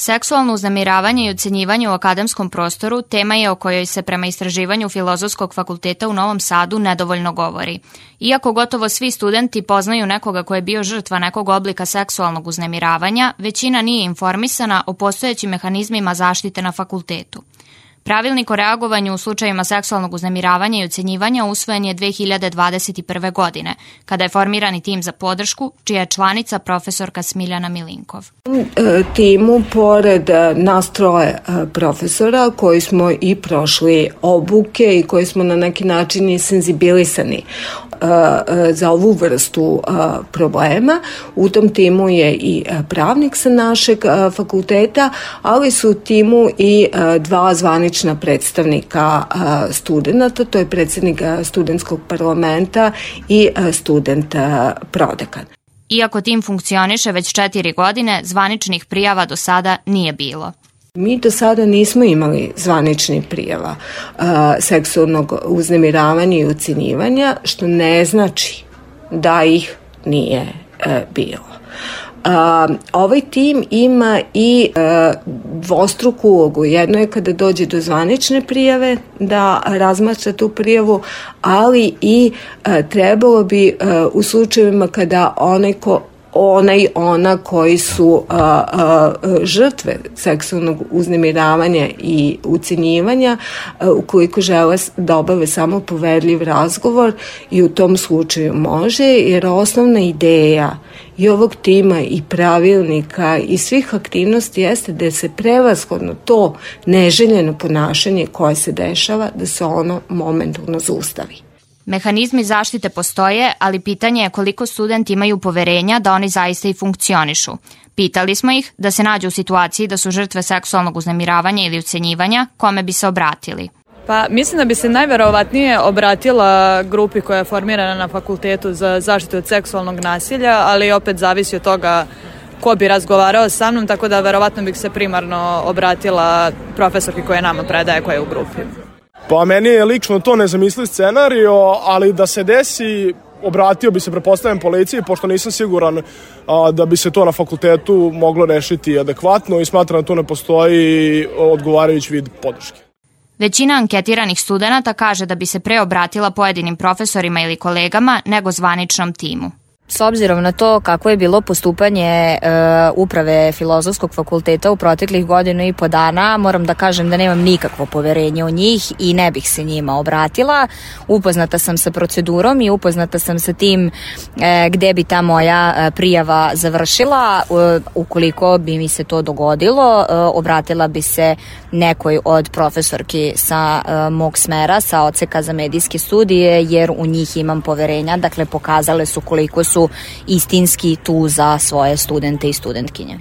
Seksualno uznemiravanje i ucenjivanje u akademskom prostoru tema je o kojoj se prema istraživanju Filozofskog fakulteta u Novom Sadu nedovoljno govori. Iako gotovo svi studenti poznaju nekoga ko je bio žrtva nekog oblika seksualnog uznemiravanja, većina nije informisana o postojećim mehanizmima zaštite na fakultetu. Pravilnik o reagovanju u slučajima seksualnog uznemiravanja i ucenjivanja usvojen je 2021. godine, kada je formiran i tim za podršku, čija je članica profesorka Smiljana Milinkov. Timu, pored nas troje profesora, koji smo i prošli obuke i koji smo na neki način i senzibilisani za ovu vrstu problema. U tom timu je i pravnik sa našeg fakulteta, ali su u timu i dva zvanična predstavnika studenta, to je predsjednik studentskog parlamenta i student prodekan. Iako tim funkcioniše već 4 godine, zvaničnih prijava do sada nije bilo. Mi do sada nismo imali zvaničnih prijava seksualnog uznemiravanja i ucenjivanja, što ne znači da ih nije bilo. Ovaj tim ima i dvostruku ulogu. Jedno je kada dođe do zvanične prijave da razmatra tu prijavu, ali i trebalo bi u slučajevima kada ona koji su žrtve seksualnog uznemiravanja i ucenjivanja, ukoliko žele da obave samo poverljiv razgovor, i u tom slučaju može, jer osnovna ideja i ovog tima i pravilnika i svih aktivnosti jeste da se prevashodno to neželjeno ponašanje koje se dešava, da se ono momentalno zaustavi. Mehanizmi zaštite postoje, ali pitanje je koliko studenti imaju poverenja da oni zaista i funkcionišu. Pitali smo ih da se nađu u situaciji da su žrtve seksualnog uznemiravanja ili ucenjivanja, kome bi se obratili. Pa mislim da bi se najverovatnije obratila grupi koja je formirana na fakultetu za zaštitu od seksualnog nasilja, ali opet zavisi od toga ko bi razgovarao sa mnom, tako da verovatno bih se primarno obratila profesorki koja nama predaje, koja je u grupi. Pa meni je lično to nezamisliv scenario, ali da se desi, obratio bi se, pretpostavljam, policiji, pošto nisam siguran da bi se to na fakultetu moglo rešiti adekvatno i smatram da tu ne postoji odgovarajući vid podrške. Većina anketiranih studenata kaže da bi se pre obratila pojedinim profesorima ili kolegama nego zvaničnom timu. S obzirom na to kako je bilo postupanje uprave Filozofskog fakulteta u proteklih 1.5 dana, moram da kažem da nemam nikakvo poverenje u njih i ne bih se njima obratila. Upoznata sam sa procedurom i upoznata sam sa tim gde bi ta moja prijava završila. Ukoliko bi mi se to dogodilo, obratila bi se nekoj od profesorki sa mog smera, sa odseka za medijske studije, jer u njih imam poverenja. Dakle, pokazale su koliko su istinski tu za svoje studente i studentkinje.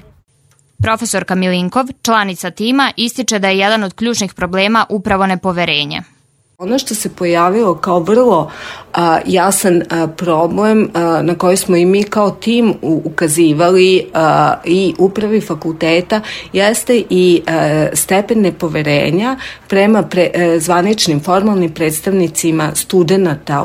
Profesorka Milinkov, članica tima, ističe da je jedan od ključnih problema upravo nepoverenje. Ono što se pojavilo kao vrlo jasan problem na koji smo i mi kao tim ukazivali i upravi fakulteta jeste i stepen nepoverenja prema zvaničnim formalnim predstavnicima studenata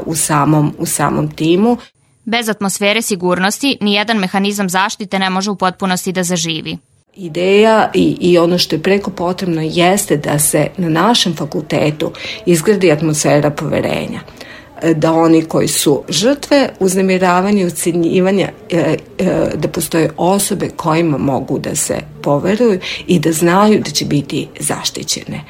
u samom timu. Bez atmosfere sigurnosti nijedan mehanizam zaštite ne može u potpunosti da zaživi. Ideja i ono što je preko potrebno jeste da se na našem fakultetu izgradi atmosfera poverenja. Da oni koji su žrtve uznemiravanja i ucenjivanja, da postoje osobe kojima mogu da se poveruju i da znaju da će biti zaštićene.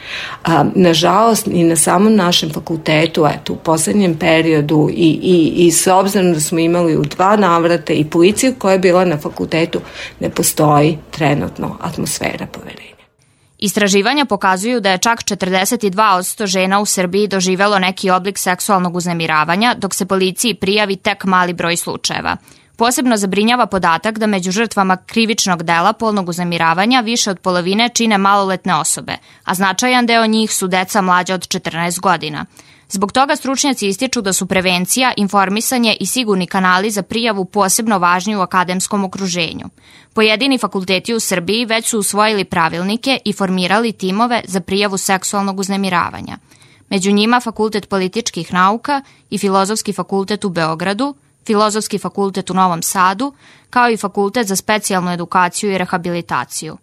Nažalost, i na samom našem fakultetu, u poslednjem periodu i s obzirom da smo imali u 2 navrata i policiju koja je bila na fakultetu, ne postoji trenutno atmosfera poverenja. Istraživanja pokazuju da je čak 42% žena u Srbiji doživelo neki oblik seksualnog uznemiravanja, dok se policiji prijavi tek mali broj slučajeva. Posebno zabrinjava podatak da među žrtvama krivičnog dela polnog uznemiravanja više od polovine čine maloletne osobe, a značajan deo njih su deca mlađa od 14 godina. Zbog toga stručnjaci ističu da su prevencija, informisanje i sigurni kanali za prijavu posebno važni u akademskom okruženju. Pojedini fakulteti u Srbiji već su usvojili pravilnike i formirali timove za prijavu seksualnog uznemiravanja. Među njima Fakultet političkih nauka i Filozofski fakultet u Beogradu, Filozofski fakultet u Novom Sadu, kao i Fakultet za specijalnu edukaciju i rehabilitaciju.